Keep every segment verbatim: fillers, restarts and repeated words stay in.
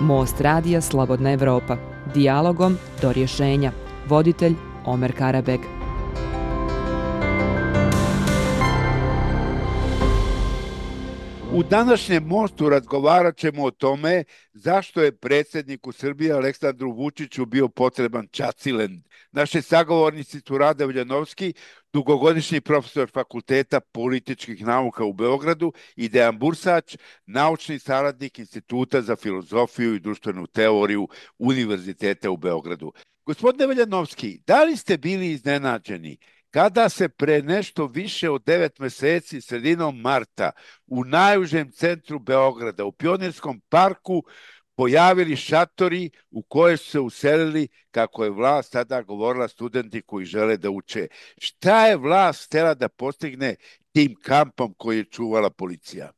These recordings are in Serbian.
Most radija Slobodna Evropa. Dijalogom do rješenja. Voditelj Omer Karabeg. U današnjem Mostu razgovarat ćemo o tome zašto je predsjedniku Srbije Aleksandru Vučiću bio potreban Čacilen. Naši sagovornici su Rade Veljanovski, dugogodišnji profesor Fakulteta političkih nauka u Beogradu, i Dejan Bursač, naučni saradnik Instituta za filozofiju i društvenu teoriju Univerziteta u Beogradu. Gospodine Veljanovski, da li ste bili iznenađeni kada se pre nešto više od devet meseci, sredinom marta, u najužem centru Beograda, u Pionirskom parku, pojavili šatori u koje su se uselili, kako je vlast tada govorila, studenti koji žele da uče? Šta je vlast htjela da postigne tim kampom koji je čuvala policija?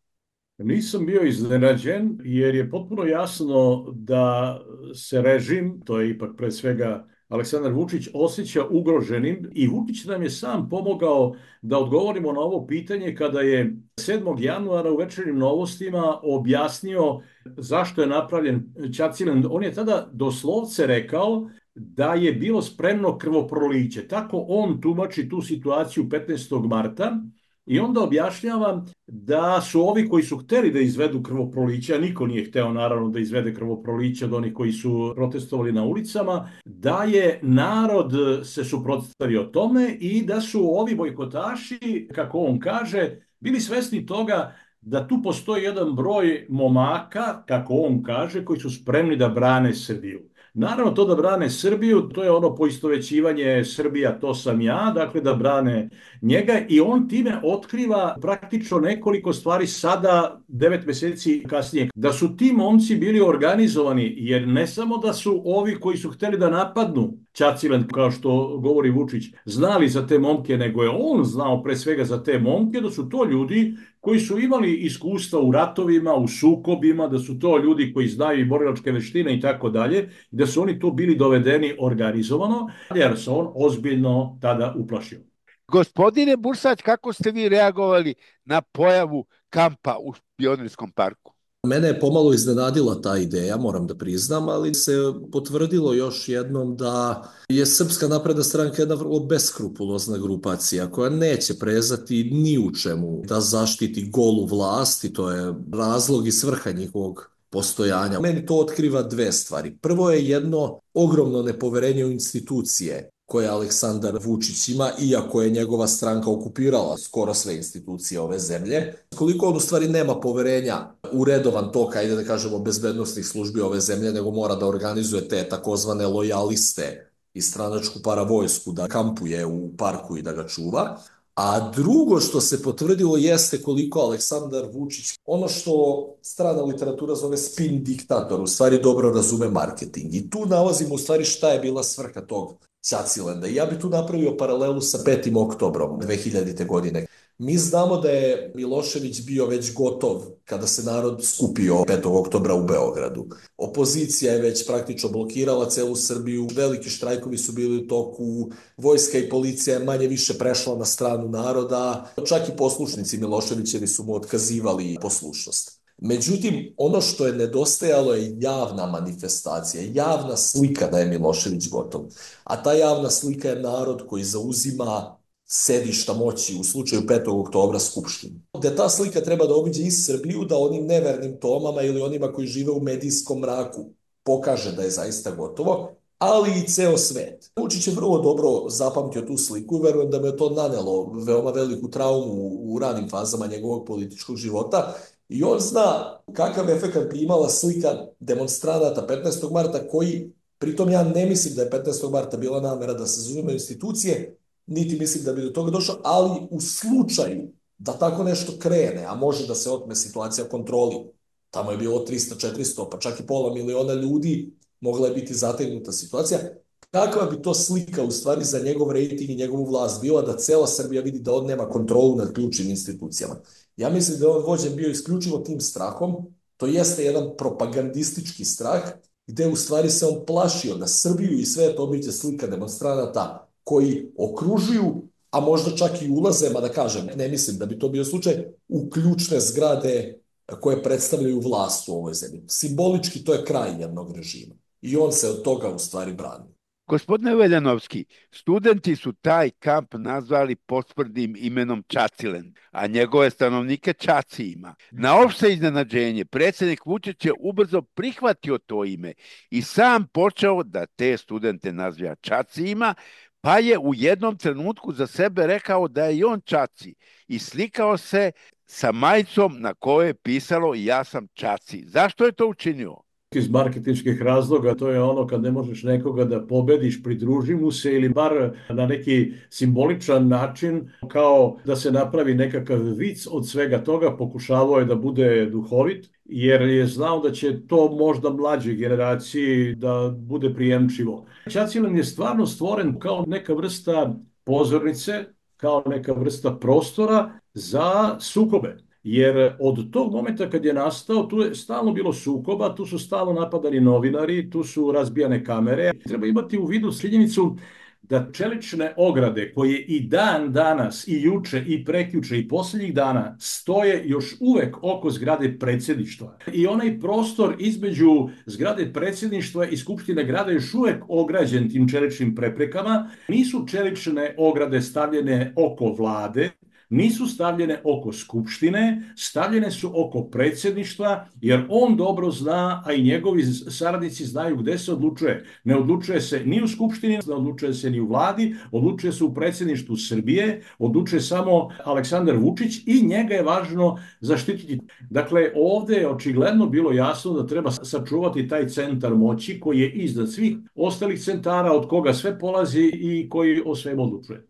Nisam bio iznenađen jer je potpuno jasno da se režim, to je ipak pre svega Aleksandar Vučić, osjeća ugroženim, i Vučić nam je sam pomogao da odgovorimo na ovo pitanje kada je sedmog januara u Večernjim novostima objasnio zašto je napravljen Čacilen. On je tada doslovce rekao da je bilo spremno krvoproliće. Tako on tumači tu situaciju petnaestog marta. I onda objašnjava da su ovi koji su hteli da izvedu krvoproliće, a niko nije hteo naravno da izvede krvoproliće od onih koji su protestovali na ulicama, da je narod se suprotstavio tome i da su ovi bojkotaši, kako on kaže, bili svesni toga da tu postoji jedan broj momaka, kako on kaže, koji su spremni da brane Srbiju. Naravno, to da brane Srbiju, to je ono poistovećivanje Srbija, to sam ja, dakle da brane njega, i on time otkriva praktično nekoliko stvari sada, devet meseci kasnije. Da su ti momci bili organizovani, jer ne samo da su ovi koji su hteli da napadnu Čacilen, kao što govori Vučić, znali za te momke, nego je on znao pre svega za te momke, da su to ljudi koji su imali iskustva u ratovima, u sukobima, da su to ljudi koji znaju i borilačke veštine i tako dalje, da su oni tu bili dovedeni organizovano, jer se on ozbiljno tada uplašio. Gospodine Bursač, kako ste vi reagovali na pojavu kampa u Pionirskom parku? Mene je pomalo iznenadila ta ideja, moram da priznam, ali se potvrdilo još jednom da je Srpska napredna stranka jedna vrlo beskrupulozna grupacija koja neće prezati ni u čemu da zaštiti golu vlast, i to je razlog i svrha njihovog postojanja. Meni to otkriva dve stvari. Prvo je jedno ogromno nepoverenje u institucije koje Aleksandar Vučić ima, iako je njegova stranka okupirala skoro sve institucije ove zemlje. Koliko on u stvari nema poverenja u redovan tok, ajde da kažemo, bezbednostnih službi ove zemlje, nego mora da organizuje te takozvane lojaliste i stranačku paravojsku da kampuje u parku i da ga čuva. A drugo što se potvrdilo jeste koliko Aleksandar Vučić, ono što strana literatura zove spin diktator, u stvari dobro razume marketing. I tu nalazimo u stvari šta je bila svrha tog Čacilenda. I ja bi tu napravio paralelu sa petim oktobrom dve hiljadite. godine. Mi znamo da je Milošević bio već gotov kada se narod skupio petog oktobra u Beogradu. Opozicija je već praktično blokirala celu Srbiju, veliki štrajkovi su bili u toku, vojska i policija je manje više prešla na stranu naroda, čak i poslušnici Miloševićevi su mu otkazivali poslušnost. Međutim, ono što je nedostajalo je javna manifestacija, javna slika da je Milošević gotov. A ta javna slika je narod koji zauzima sedišta moći, u slučaju petog oktobra Skupštinu. Gde ta slika treba da obiđe i Srbiju, da onim nevernim Tomama ili onima koji žive u medijskom mraku pokaže da je zaista gotovo, ali i ceo svet. Vučić je vrlo dobro zapamtio tu sliku i verujem da mu je to nanelo veoma veliku traumu u ranim fazama njegovog političkog života. I on zna kakav efekat bi imala slika demonstranata petnaestog marta, koji, pritom ja ne mislim da je petnaestog marta bila namera da se zauzimaju institucije, niti mislim da bi do toga došlo, ali u slučaju da tako nešto krene, a može da se otme situacija kontroli, tamo je bilo trista četiristo, pa čak i pola miliona ljudi, mogla je biti zategnuta situacija, kakva bi to slika u stvari za njegov rejting i njegovu vlast bila da cela Srbija vidi da on nema kontrolu nad ključnim institucijama. Ja mislim da je on vođen bio isključivo tim strahom, to jeste jedan propagandistički strah, gde u stvari se on plašio da Srbiju i sve to obiđe slika demonstranata koji okružuju, a možda čak i ulaze, ma da kažem, ne mislim da bi to bio slučaj, u ključne zgrade koje predstavljaju vlast u ovoj zemlji. Simbolički to je kraj jednog režima i on se od toga u stvari brani. Gospodine Veljanovski, studenti su taj kamp nazvali posprdnim imenom Čacilen, a njegove stanovnike Čacijima. Na opšte iznenađenje, predsjednik Vučić je ubrzo prihvatio to ime i sam počeo da te studente naziva Čacijima, pa je u jednom trenutku za sebe rekao da je i on Čaci i slikao se sa majicom na kojoj je pisalo ja sam Čaci. Zašto je to učinio? Iz marketinških razloga, to je ono kad ne možeš nekoga da pobediš, pridruži mu se ili bar na neki simboličan način, kao da se napravi nekakav vic od svega toga, pokušavao je da bude duhovit, jer je znao da će to možda mlađoj generaciji da bude prijemčivo. Čacilen je stvarno stvoren kao neka vrsta pozornice, kao neka vrsta prostora za sukobe. Jer od tog momenta kad je nastao, tu je stalno bilo sukoba, tu su stalno napadani novinari, tu su razbijane kamere. Treba imati u vidu činjenicu da čelične ograde koje i dan danas, i juče, i prekjuče, i posljednjih dana stoje još uvek oko zgrade predsjedništva. I onaj prostor između zgrade predsjedništva i Skupštine grada je još uvek ograđen tim čeličnim preprekama. Nisu čelične ograde stavljene oko vlade, nisu stavljene oko Skupštine, stavljene su oko predsjedništva, jer on dobro zna, a i njegovi saradnici znaju gde se odlučuje. Ne odlučuje se ni u Skupštini, ne odlučuje se ni u vladi, odlučuje se u predsjedništvu Srbije, odlučuje samo Aleksandar Vučić i njega je važno zaštititi. Dakle, ovde je očigledno bilo jasno da treba sačuvati taj centar moći koji je iznad svih ostalih centara od koga sve polazi i koji o svemu odlučuje.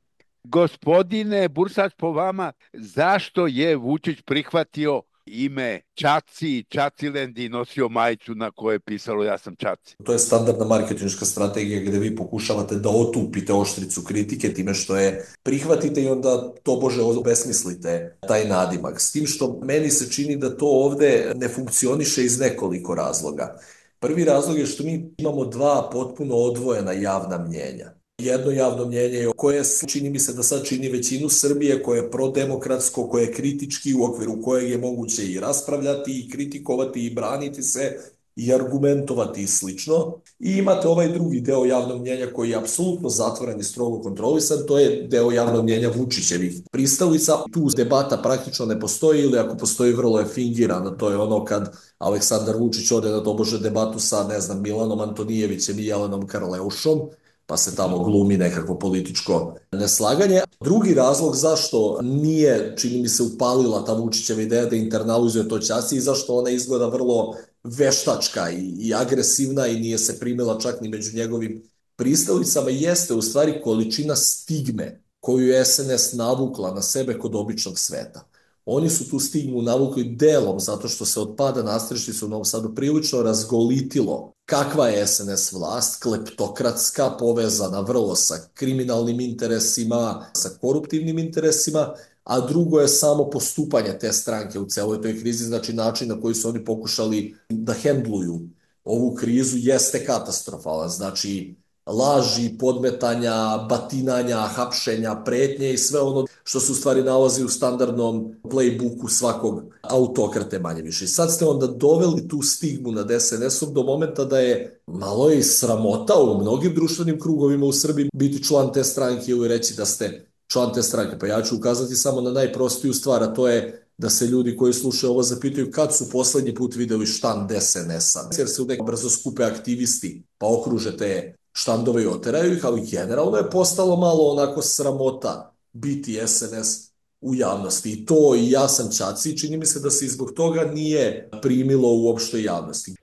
Gospodine Bursač, po vama, zašto je Vučić prihvatio ime Čaci, Čaciland i nosio majicu na kojoj je pisalo ja sam Čaci? To je standardna marketinška strategija gde vi pokušavate da otupite oštricu kritike time što je prihvatite i onda tobože obesmislite taj nadimak. S tim što meni se čini da to ovde ne funkcioniše iz nekoliko razloga. Prvi razlog je što mi imamo dva potpuno odvojena javna mnjenja. Jedno javno mnjenje koje čini mi se da sad čini većinu Srbije, koje je prodemokratsko, koje je kritički, u okviru kojeg je moguće i raspravljati i kritikovati i braniti se i argumentovati i slično. I imate ovaj drugi deo javnog mnjenja koji je apsolutno zatvoren i strogo kontrolisan, to je deo javnog mnjenja Vučićevih pristalica. Tu debata praktično ne postoji ili ako postoji vrlo je fingirana, to je ono kad Aleksandar Vučić ode na tobože debatu sa, ne znam, Milanom Antonijevićem i Jelenom Karleušom, pa se tamo glumi nekakvo političko neslaganje. Drugi razlog zašto nije, čini mi se, upalila ta Vučićeva ideja da internalizuje to Čaci i zašto ona izgleda vrlo veštačka i, i agresivna i nije se primila čak ni među njegovim pristalicama, jeste u stvari količina stigme koju je S N S navukla na sebe kod običnog sveta. Oni su tu stigmu navukli delom zato što se od pada nastrešnice u Novom Sadu prilično razgolitilo kakva je S N S vlast, kleptokratska, povezana vrlo sa kriminalnim interesima, sa koruptivnim interesima, a drugo je samo postupanje te stranke u celoj toj krizi, znači način na koji su oni pokušali da hendluju ovu krizu jeste katastrofalan, znači laži, podmetanja, batinanja, hapšenja, pretnje i sve ono što se u stvari nalazi u standardnom playbooku svakog autokrate manje više. I sad ste onda doveli tu stigmu nad S N S-om do momenta da je malo i sramota u mnogim društvenim krugovima u Srbiji biti član te stranke ili reći da ste član te stranke. Pa ja ću ukazati samo na najprostiju stvar, a to je da se ljudi koji slušaju ovo zapitaju kad su poslednji put videli štand S N S-a. Jer se uvek brzo skupe aktivisti pa okruže te štandove i oteraju ih, ali generalno je postalo malo onako sramota biti S N S u javnosti. I to i ja sam Čaci, čini mi se da se zbog toga nije primilo u opštoj javnosti.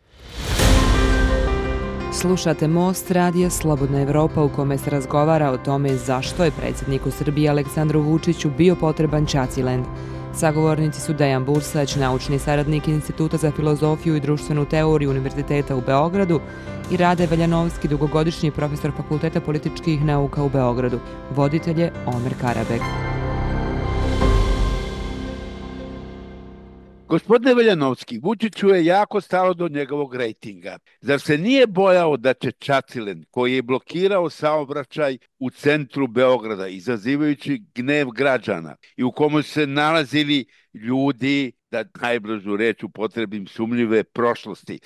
Slušate Most radija Slobodna Evropa u kome se razgovara o tome zašto je predsjedniku Srbije Aleksandru Vučiću bio potreban Čaciland. Sagovornici su Dejan Bursać, naučni saradnik Instituta za filozofiju i društvenu teoriju Univerziteta u Beogradu i Rade Veljanovski, dugogodišnji profesor Fakulteta političkih nauka u Beogradu. Voditelj je Omer Karabek. Gospodine Veljanovski, Vučiću je jako stalo do njegovog rejtinga. Zar se nije bojao da će Čacilen, koji je blokirao saobraćaj u centru Beograda, izazivajući gnev građana i u komu se nalazili ljudi, da najblažu reč upotrebim, sumnjive prošlosti,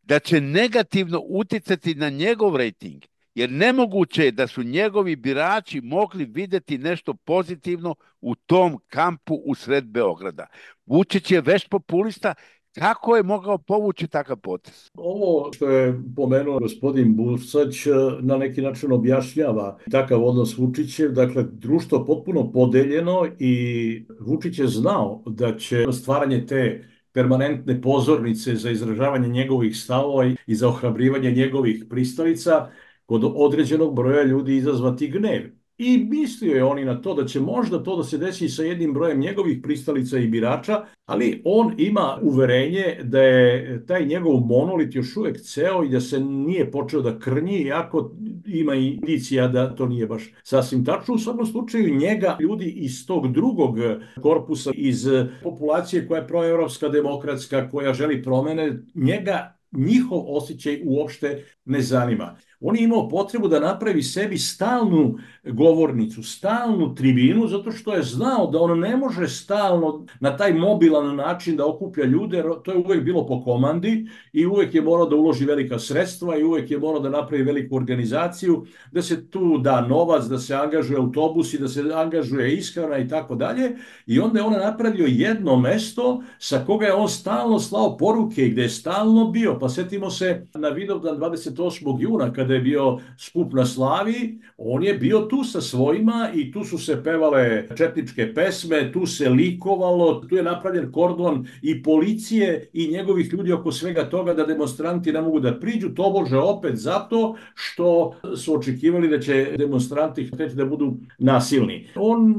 da će negativno uticati na njegov rejting, jer nemoguće je da su njegovi birači mogli videti nešto pozitivno u tom kampu u sred Beograda. Vučić je vešt populista, kako je mogao povući takav potez? Ovo što je pomenuo gospodin Bulsać na neki način objašnjava takav odnos Vučićev, dakle društvo potpuno podeljeno i Vučić je znao da će stvaranje te permanentne pozornice za izražavanje njegovih stavova i za ohrabrivanje njegovih pristalica kod određenog broja ljudi izazvati gnev. I mislio je oni na to da će možda to da se desi sa jednim brojem njegovih pristalica i birača, ali on ima uverenje da je taj njegov monolit još uvek ceo i da se nije počeo da krnji, iako ima indicija da to nije baš sasvim tačno. U svakom slučaju njega ljudi iz tog drugog korpusa, iz populacije koja je proevropska, demokratska, koja želi promene, njega njihov osjećaj uopšte ne zanima. On je imao potrebu da napravi sebi stalnu govornicu, stalnu tribinu, zato što je znao da on ne može stalno na taj mobilan način da okuplja ljude, to je uvek bilo po komandi i uvek je morao da uloži velika sredstva i uvek je morao da napravi veliku organizaciju, da se tu da novac, da se angažuje autobusi, da se angažuje ishrana i tako dalje. I onda je on napravio jedno mesto sa koga je on stalno slao poruke i gde je stalno bio. Pa setimo se na Vidovdan dvadeset osmog juna kada je bio skup na Slaviji, on je bio tu sa svojima i tu su se pevale četničke pesme, tu se likovalo, tu je napravljen kordon i policije i njegovih ljudi oko svega toga da demonstranti ne mogu da priđu, tobože opet zato što su očekivali da će demonstranti hteti da budu nasilni. On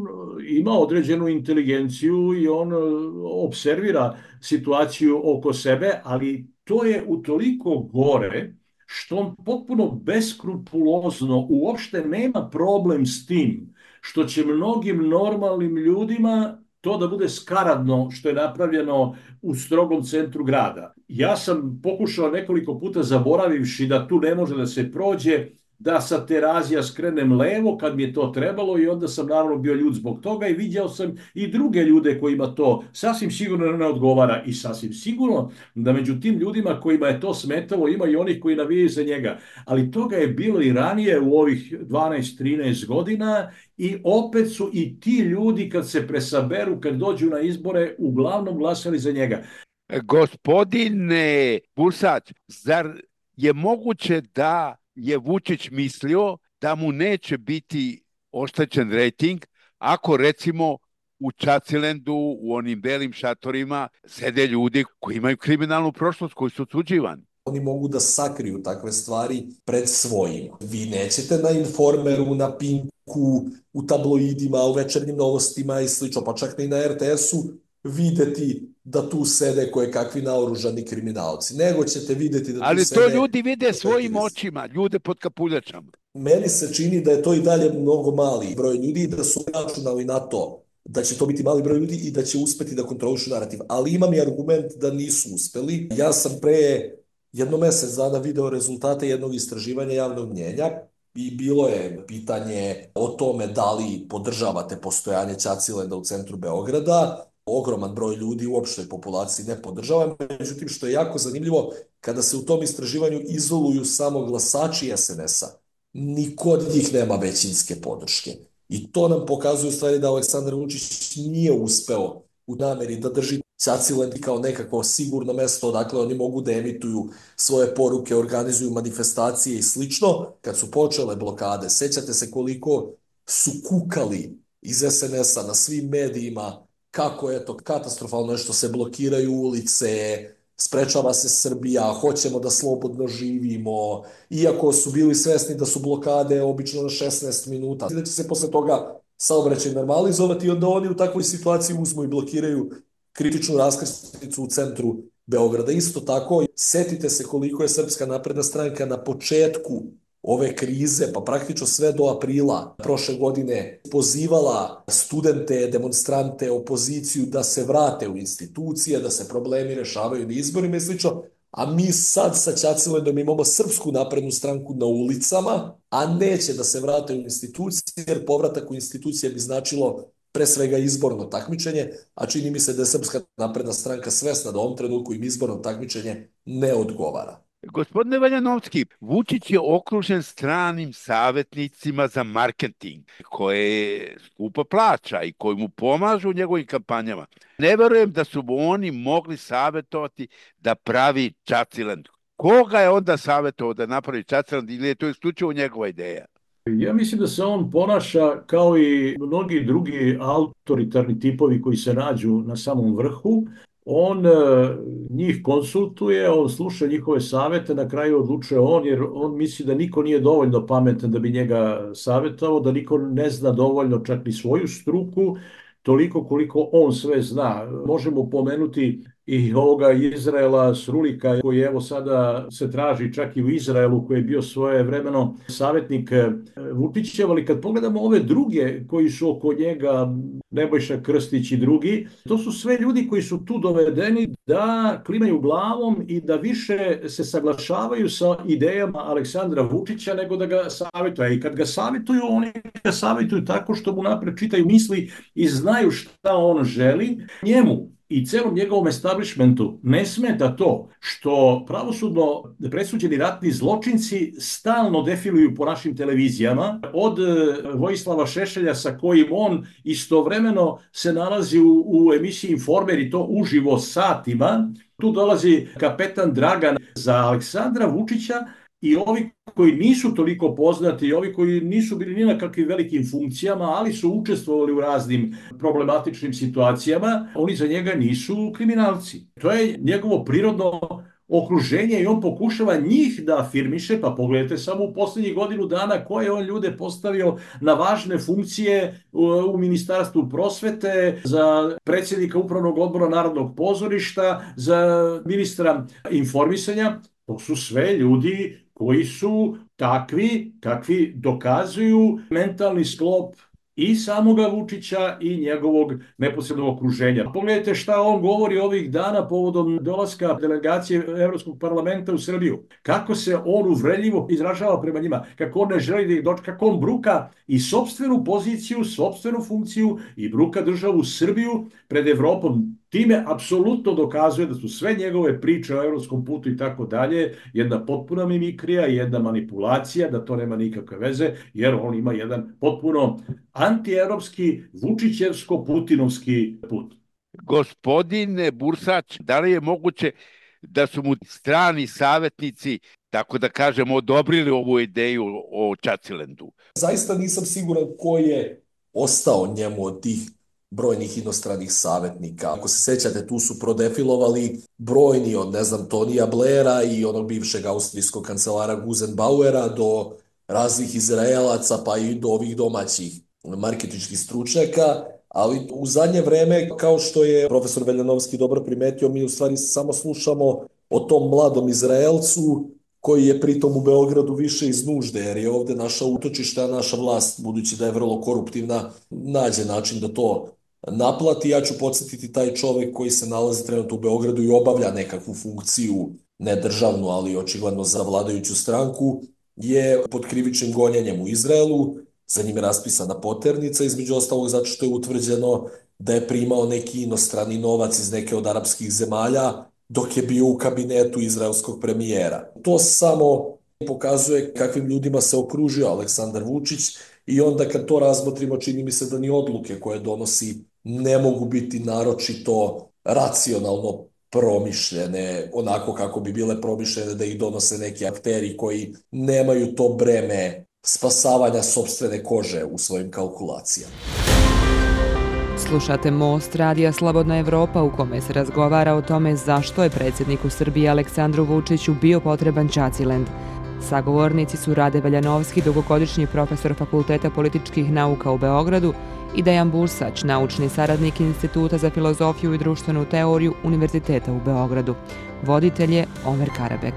ima određenu inteligenciju i on observira situaciju oko sebe, ali to je utoliko gore što on potpuno beskrupulozno uopšte nema problem s tim što će mnogim normalnim ljudima to da bude skaradno što je napravljeno u strogom centru grada. Ja sam pokušao nekoliko puta, zaboravivši da tu ne može da se prođe, da sa Terazija skrenem levo kad mi je to trebalo i onda sam naravno bio ljud zbog toga i viđao sam i druge ljude kojima to sasvim sigurno ne odgovara i sasvim sigurno da među tim ljudima kojima je to smetalo ima i onih koji navijaju za njega. Ali toga je bilo i ranije u ovih dvanaest trinaest godina i opet su i ti ljudi kad se presaberu, kad dođu na izbore, uglavnom glasali za njega. Gospodine Bulsać, zar je moguće da je Vučić mislio da mu neće biti oštećen rejting ako recimo u Čacilendu, u onim belim šatorima sede ljudi koji imaju kriminalnu prošlost, koji su osuđivani? Oni mogu da sakriju takve stvari pred svojim. Vi nećete na Informeru, na Pinku, u tabloidima, u večernjim novostima i slično, pa čak i na er te esu videti da tu sede koje kakvi naoružani kriminalci. Nego ćete videti da tu Ali sede... Ali to ljudi vide svojim očima, ljude pod kapuljačama. Meni se čini da je to i dalje mnogo mali broj ljudi i da su računali na to da će to biti mali broj ljudi i da će uspeti da kontrolišu narativ. Ali imam i argument da nisu uspeli. Ja sam pre jedno mesec dana video rezultate jednog istraživanja javnog mnjenja i bilo je pitanje o tome da li podržavate postojanje Ćacilenda u centru Beograda. Ogroman broj ljudi u opštoj populaciji ne podržava. Međutim, što je jako zanimljivo, kada se u tom istraživanju izoluju samo glasači es en esa, niko od njih nema većinske podrške. I to nam pokazuje u stvari da Aleksandar Vučić nije uspeo u nameri da drži Ćacilend kao nekako sigurno mesto odakle oni mogu da emituju svoje poruke, organizuju manifestacije i slično. Kad su počele blokade, sećate se koliko su kukali iz es en esa na svim medijima kako je to katastrofalno je što se blokiraju ulice, sprečava se Srbija, hoćemo da slobodno živimo, iako su bili svesni da su blokade obično na šesnaest minuta. Da će se posle toga saobraćaj normalizovati i onda oni u takvoj situaciji uzmu i blokiraju kritičnu raskrsnicu u centru Beograda. Isto tako, setite se koliko je Srpska napredna stranka na početku ove krize, pa praktično sve do aprila prošle godine pozivala studente, demonstrante, opoziciju da se vrate u institucije, da se problemi rešavaju na izborima i slično. A mi sad sa Ćacilendom imamo Srpsku naprednu stranku na ulicama, a neće da se vrate u institucije, jer povratak u institucije bi značilo pre svega izborno takmičenje, a čini mi se da je Srpska napredna stranka svesna da u ovom trenutku im izborno takmičenje ne odgovara. Gospodine Valjanovski, Vučić je okružen stranim savjetnicima za marketing koje skupo plaća i koji mu pomažu u njegovim kampanjama. Ne verujem da su oni mogli savjetovati da pravi Ćacilend. Koga je onda savjetovao da napravi Ćacilend ili je to isključivo njegova ideja? Ja mislim da se on ponaša kao i mnogi drugi autoritarni tipovi koji se nađu na samom vrhu. On njih konsultuje, on sluša njihove savete, na kraju odlučuje on, jer on misli da niko nije dovoljno pametan da bi njega savjetovao, da niko ne zna dovoljno čak ni svoju struku, toliko koliko on sve zna. Možemo pomenuti i ovoga Izraela Srulika, koji evo sada se traži čak i u Izraelu, koji je bio svojevremeno savjetnik Vučićev, ali kad pogledamo ove druge koji su oko njega, Nebojša Krstić i drugi, to su sve ljudi koji su tu dovedeni da klimaju glavom i da više se saglašavaju sa idejama Aleksandra Vučića nego da ga savjetuju. I kad ga savjetuju, oni ga savjetuju tako što mu napred čitaju misli i znaju šta on želi. Njemu i celom njegovom establishmentu ne smeta to što pravosudno presuđeni ratni zločinci stalno defiluju po našim televizijama, od Vojislava Šešelja sa kojim on istovremeno se nalazi u, u emisiji Informer i to uživo satima. Tu dolazi kapetan Dragan za Aleksandra Vučića i ovi koji nisu toliko poznati, ovi koji nisu bili ni na kakvim velikim funkcijama, ali su učestvovali u raznim problematičnim situacijama, oni za njega nisu kriminalci. To je njegovo prirodno okruženje i on pokušava njih da afirmiše, pa pogledajte samo u posljednjih godinu dana koje on ljude postavio na važne funkcije u Ministarstvu prosvete, za predsjednika Upravnog odbora Narodnog pozorišta, za ministra informisanja. To su sve ljudi koji su takvi kakvi dokazuju mentalni sklop i samoga Vučića i njegovog neposrednog okruženja. Pogledajte šta on govori ovih dana povodom dolaska delegacije Evropskog parlamenta u Srbiju. Kako se on uvredljivo izražava prema njima, kako on ne želi da ih dočeka, kako on bruka i sopstvenu poziciju, sopstvenu funkciju i bruka državu Srbiju pred Evropom. Time apsolutno dokazuje da su sve njegove priče o evropskom putu i tako dalje jedna potpuna mimikrija, jedna manipulacija, da to nema nikakve veze, jer on ima jedan potpuno antievropski, vučićevsko-putinovski put. Gospodine Bursać, da li je moguće da su mu strani savjetnici, tako da kažemo, odobrili ovu ideju o Ćacilendu? Zaista nisam siguran ko je ostao njemu od tih brojnih inostranih savjetnika. Ako se sećate, tu su prodefilovali brojni od, ne znam, Tonija Blaira i onog bivšeg austrijskog kancelara Gusenbauera do raznih Izraelaca, pa i do ovih domaćih marketinških stručnjaka, ali u zadnje vreme, kao što je profesor Veljanovski dobro primetio, mi u stvari samo slušamo o tom mladom Izraelcu koji je pritom u Beogradu više iz nužde, jer je ovde naša utočišta, a naša vlast, budući da je vrlo koruptivna, nađe način da to naplati. Ja ću podsjetiti taj čovek koji se nalazi trenutno u Beogradu i obavlja nekakvu funkciju, ne državnu, ali očigledno za vladajuću stranku, je pod krivičnim gonjenjem u Izraelu. Za njim je raspisana poternica, između ostalog zato što je utvrđeno da je primao neki inostrani novac iz neke od arapskih zemalja dok je bio u kabinetu izraelskog premijera. To samo pokazuje kakvim ljudima se okružio Aleksandar Vučić i onda kad to razmotrimo, čini mi se da ni odluke koje donosi ne mogu biti naročito racionalno promišljene, onako kako bi bile promišljene da ih donose neki akteri koji nemaju to breme spasavanja sopstvene kože u svojim kalkulacijama. Slušate Most radija Slobodna Evropa u kome se razgovara o tome zašto je predsjedniku Srbije Aleksandru Vučiću bio potreban Ćacilend. Sagovornici su Rade Valjanovski, dugogodišnji profesor Fakulteta političkih nauka u Beogradu, i Dejan Bursać, naučni saradnik Instituta za filozofiju i društvenu teoriju Univerziteta u Beogradu. Voditelj je Omer Karabek.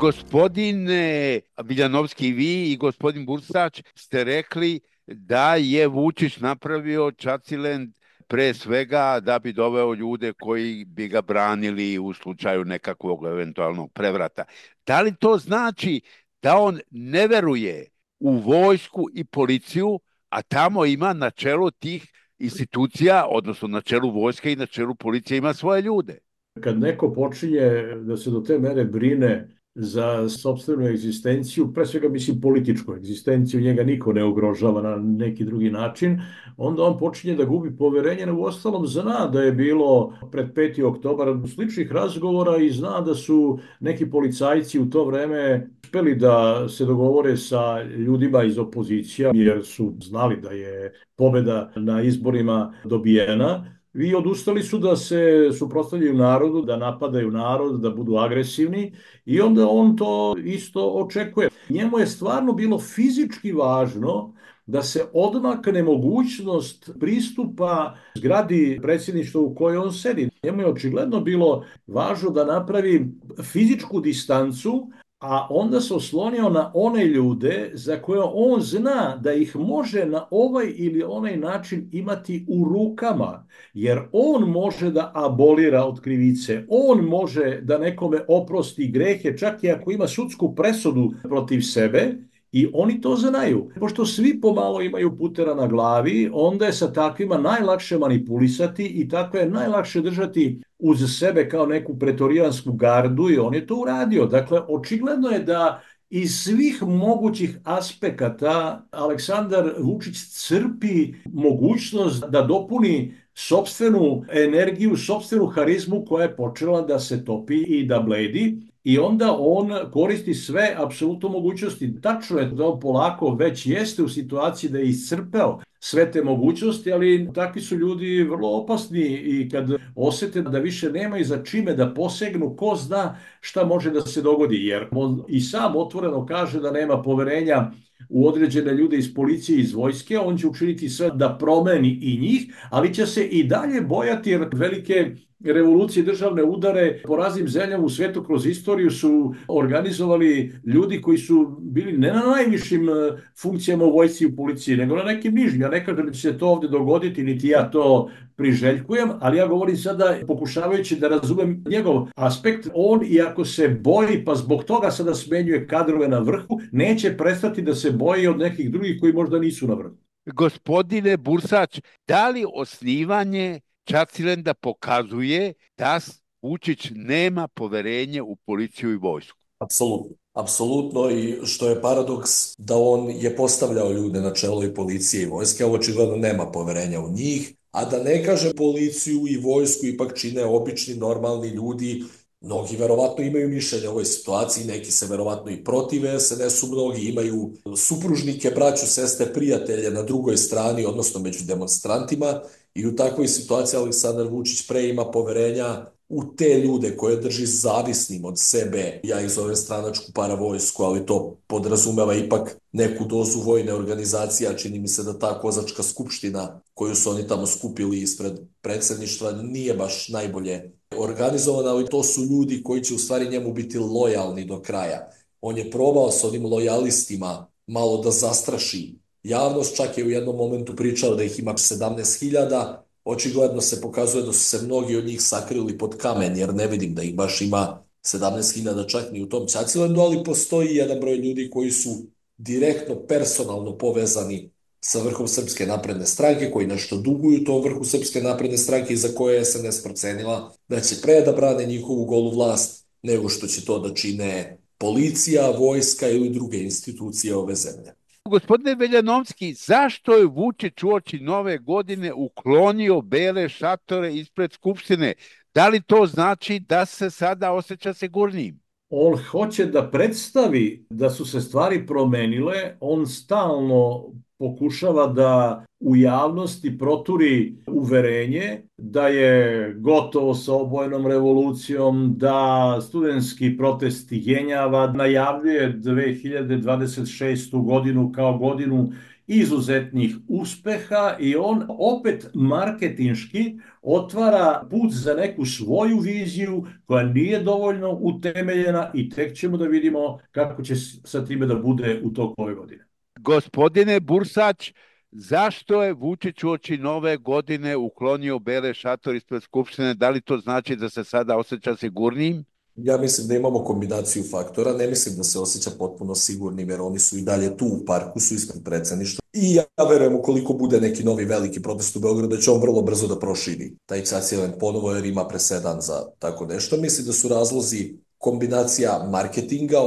Gospodine Viljanovski, vi i gospodin Bursač ste rekli da je Vučić napravio Čacilend pre svega da bi doveo ljude koji bi ga branili u slučaju nekakvog eventualnog prevrata. Da li to znači da on ne veruje u vojsku i policiju, a tamo ima na čelu tih institucija, odnosno na čelu vojske i na čelu policije ima svoje ljude? Kad neko počinje da se do te mere brine za sopstvenu egzistenciju, pre svega mislim političku egzistenciju, njega niko ne ugrožava na neki drugi način, onda on počinje da gubi poverenje, u ostalom zna da je bilo pred peti oktobar sličnih razgovora i zna da su neki policajci u to vreme uspeli da se dogovore sa ljudima iz opozicija, jer su znali da je pobeda na izborima dobijena. I odustali su da se suprotstavljaju narodu, da napadaju narod, da budu agresivni i onda on to isto očekuje. Njemu je stvarno bilo fizički važno da se odmakne mogućnost pristupa zgradi predsjedništva u kojoj on sedi. Njemu je očigledno bilo važno da napravi fizičku distancu, a onda se oslonio na one ljude za koje on zna da ih može na ovaj ili onaj način imati u rukama, jer on može da abolira od krivice, on može da nekome oprosti grehe, čak i ako ima sudsku presudu protiv sebe, i oni to znaju. Pošto svi pomalo imaju putera na glavi, onda je sa takvima najlakše manipulisati i tako je najlakše držati uz sebe kao neku pretorijansku gardu i on je to uradio. Dakle, očigledno je da iz svih mogućih aspekata Aleksandar Vučić crpi mogućnost da dopuni sopstvenu energiju, sopstvenu harizmu koja je počela da se topi i da bledi. I onda on koristi sve apsolutno mogućnosti. Tačno je da on polako već jeste u situaciji da je iscrpeo sve te mogućnosti, ali takvi su ljudi vrlo opasni i kad osete da više nemaju za čime da posegnu, ko zna šta može da se dogodi, jer on i sam otvoreno kaže da nema poverenja u određene ljude iz policije i iz vojske, on će učiniti sve da promeni i njih, ali će se i dalje bojati jer velike revolucije, državne udare po raznim zemljama u svetu kroz istoriju su organizovali ljudi koji su bili ne na najvišim funkcijama u vojsci i u policiji, nego na nekim nižim. Ja ne kažem da će se to ovde dogoditi, niti ja to priželjkujem, ali ja govorim sada pokušavajući da razumem njegov aspekt. On, iako se boji, pa zbog toga sada smenjuje kadrove na vrhu, neće prestati da se boji od nekih drugih koji možda nisu na vrhu. Gospodine Bursač, da li osnivanje Čacilenda pokazuje da Vučić nema poverenje u policiju i vojsku? Apsolutno. Apsolutno, i što je paradoks da on je postavljao ljude na čelo i policije i vojske, a očigledno nema poverenja u njih, a da ne kaže policiju i vojsku ipak čine obični, normalni ljudi. Mnogi verovatno imaju mišljenje o ovoj situaciji, neki se verovatno i protive S N S-u, mnogi imaju supružnike, braću, sestre, prijatelje na drugoj strani, odnosno među demonstrantima, i u takvoj situaciji Aleksandar Vučić pre ima poverenja u te ljude koje drži zavisnim od sebe. Ja ih zovem stranačku paravojsku, ali to podrazumeva ipak neku dozu vojne organizacije, a čini mi se da ta kozačka skupština koju su oni tamo skupili ispred predsjedništva nije baš najbolje organizovana, ali to su ljudi koji će u stvari njemu biti lojalni do kraja. On je probao sa onim lojalistima malo da zastraši javnost, čak je u jednom momentu pričao da ih ima sedamnaest hiljada, očigledno se pokazuje da su se mnogi od njih sakrili pod kamen, jer ne vidim da ih baš ima sedamnaest hiljada čak ni u tom Čacilendu, ali postoji jedan broj ljudi koji su direktno, personalno povezani sa vrhom Srpske napredne stranke, koji nešto duguju tom vrhu Srpske napredne stranke i za koje je S N S procenila da će pre da brane njihovu golu vlast nego što će to da čine policija, vojska ili druge institucije ove zemlje. Gospodine Veljanovski, zašto je Vučić uoči nove godine uklonio bele šatore ispred Skupštine? Da li to znači da se sada osjeća sigurnijim? On hoće da predstavi da su se stvari promenile, on stalno pokušava da u javnosti proturi uverenje da je gotovo sa obojenom revolucijom, da studentski protesti jenjava, najavljuje dve hiljade dvadeset šestu godinu kao godinu izuzetnih uspeha i on opet marketinški otvara put za neku svoju viziju koja nije dovoljno utemeljena i tek ćemo da vidimo kako će sa time da bude u toku ove godine. Gospodine Bursać, zašto je Vučić uoči nove godine uklonio bele šator ispred Skupštine? Da li to znači da se sada osjeća sigurnijim? Ja mislim da imamo kombinaciju faktora, ne mislim da se osjeća potpuno sigurnim jer oni su i dalje tu u parku, su ispred predsjedništva. I ja verujem ukoliko bude neki novi veliki protest u Beogradu da će on vrlo brzo da proširi taj Čacilen ponovo jer ima presedan za tako nešto. Mislim da su razlozi kombinacija marketinga,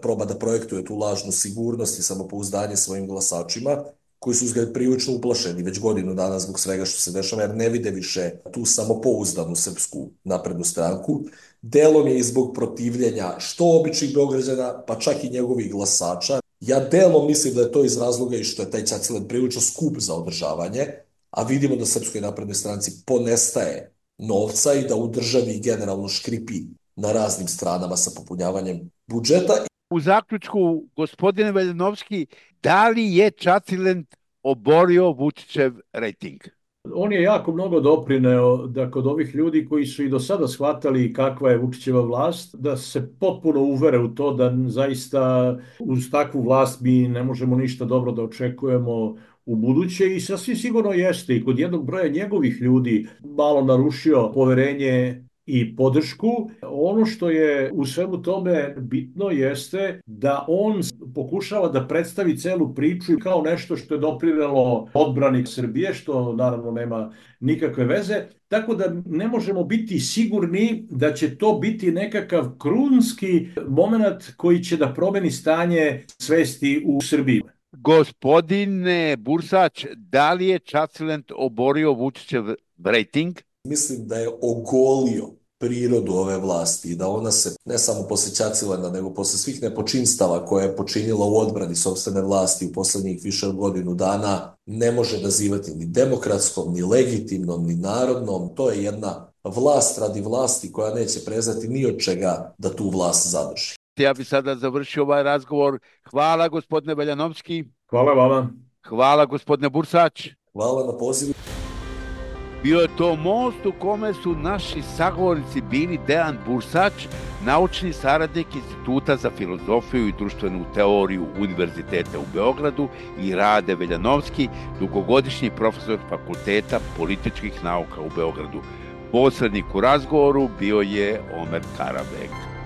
proba da projektuje tu lažnu sigurnost i samopouzdanje svojim glasačima, koji su izgled prilično uplašeni već godinu dana zbog svega što se dešava, jer ne vide više tu samopouzdanu Srpsku naprednu stranku. Delom je i zbog protivljenja što običnih Beograđana, pa čak i njegovih glasača. Ja delom mislim da je to iz razloga i što je taj Čacilen prilično skup za održavanje, a vidimo da Srpskoj naprednoj stranci ponestaje novca i da u državi generalno škripi na raznim stranama sa popunjavanjem budžeta. U zaključku, gospodine Veljanovski, da li je Čacilen oborio Vučićev rejting? On je jako mnogo doprineo da kod ovih ljudi koji su i do sada shvatali kakva je Vučićeva vlast, da se potpuno uvere u to da zaista uz takvu vlast mi ne možemo ništa dobro da očekujemo u buduće i sasvim sigurno jeste i kod jednog broja njegovih ljudi malo narušio poverenje i podršku. Ono što je u svemu tome bitno jeste da on pokušava da predstavi celu priču kao nešto što je doprinelo odbrani Srbije, što naravno nema nikakve veze, tako da ne možemo biti sigurni da će to biti nekakav krunski moment koji će da promeni stanje svesti u Srbiji. Gospodine Bursać, da li je Čacilen oborio Vučićev rejting? Mislim da je ogolio prirodu ove vlasti i da ona se ne samo posle Čacilena, nego posle svih nepočinstava koje je počinila u odbrani sopstvene vlasti u poslednjih više od godinu dana ne može nazivati ni demokratskom, ni legitimnom, ni narodnom. To je jedna vlast radi vlasti koja neće prezati ni od čega da tu vlast zadrži. Ja bi sada završio ovaj razgovor. Hvala gospodine Veljanovski. Hvala vama. Hvala gospodine Bursać. Hvala na pozivu. Bio je to most u kome su naši sagovornici bili Dejan Bursać, naučni saradnik Instituta za filozofiju i društvenu teoriju Univerziteta u Beogradu, i Rade Veljanovski, dugogodišnji profesor Fakulteta političkih nauka u Beogradu. Posrednik u razgovoru bio je Omer Karabek.